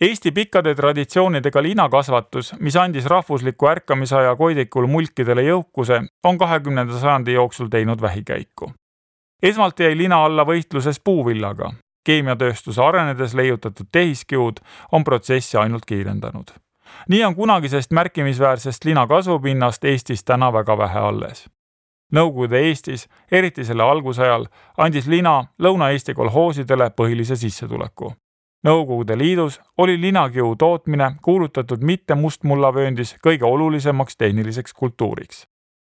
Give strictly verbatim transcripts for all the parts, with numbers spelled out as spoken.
Eesti pikkade traditsioonidega linakasvatus, mis andis rahvusliku ärkamisaja koidikul mulkidele jõukuse, on kahekümnenda sajandi jooksul teinud vähikäiku. Esmalt jäi lina alla võitluses puuvillaga. Keemiatööstuse arenedes leiutatud tehiskiud on protsessi ainult kiirendanud. Nii on kunagisest märkimisväärsest lina kasvupinnast Eestis täna väga vähe alles. Nõukogude Eestis, eriti selle algusajal, andis lina Lõuna-Eesti kolhoosidele põhilise sissetuleku. Nõukogude Liidus oli linakiu tootmine kuulutatud mitte mustmullavööndis kõige olulisemaks tehniliseks kultuuriks.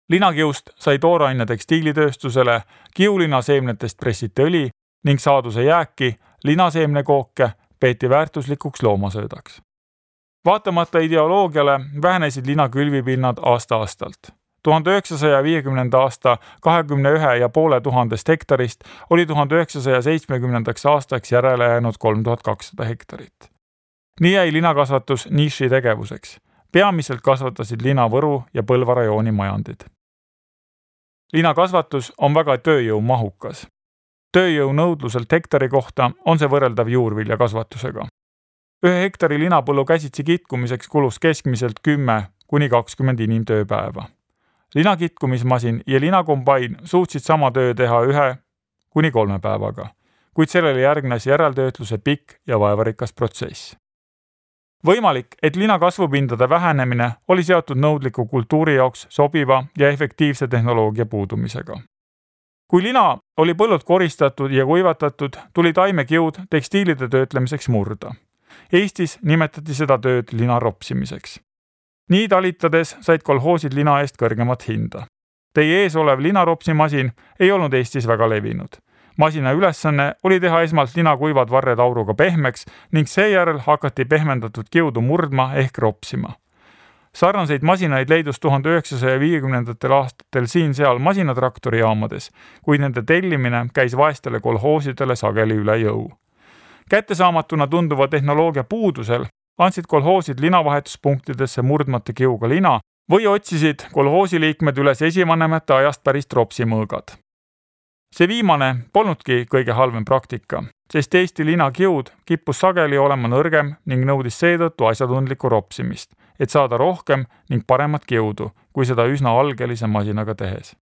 Linakiust sai tooraine tekstiilitööstusele, kiulinaseemnetest pressiti õli ning saaduse jääki, linaseemnekooke, peeti väärtuslikuks loomasöödaks. Vaatamata ideoloogiale vähenesid lina külvipinnad aasta-aastalt. tuhande üheksasaja viiekümnenda aasta kahekümne ühe ja poole tuhandest hektarist oli tuhande üheksasaja seitsmekümnendaks aastaks järele jäänud kolm tuhat kakssada hektarit. Nii jäi linakasvatus niši tegevuseks. Peamiselt kasvatasid lina Võru ja Põlva rajooni majandid. Linakasvatus on väga tööjõumahukas. Tööjõu nõudluselt hektari kohta on see võrreldav juurviljakasvatusega. Ühe hektari linapõllu käsitsi kitkumiseks kulus keskmiselt kümme kuni kakskümmend inimtööpäeva. Linakitkumismasin ja linakombain suutsid sama töö teha ühe kuni kolme päevaga, kuid sellele järgnes järeltöötluse pikk ja vaevarikas protsess. Võimalik, et lina kasvupindade vähenemine oli seotud nõudliku kultuuri jaoks sobiva ja efektiivse tehnoloogia puudumisega. Kui lina oli põllud koristatud ja kuivatatud, tuli taimekiud tekstiilide töötlemiseks murda. Eestis nimetati seda tööd lina ropsimiseks. Nii talitades said kolhoosid lina eest kõrgemat hinda. Teie ees olev linaropsimasin ei olnud Eestis väga levinud. Masina ülesanne oli teha esmalt lina kuivad varred auruga pehmeks ning seejärel hakati pehmendatud kiudu murdma ehk ropsima. Sarnaseid masinaid leidus tuhande üheksasaja viiekümnendatel aastatel siin-seal masinatraktorijaamades, kuid nende tellimine käis vaestele kolhoosidele sageli üle jõu. Kättesaamatuna tunduva tehnoloogia puudusel andsid kolhoosid linavahetuspunktidesse murdmata kiuga lina või otsisid kolhoosiliikmed üles esivanemate ajast pärist ropsimõõgad. See viimane polnudki kõige halvem praktika, sest Eesti linakiud kippus sageli olema nõrgem ning nõudis seetõttu asjatundlikku ropsimist, et saada rohkem ning paremat kiudu, kui seda üsna algelise masinaga tehes.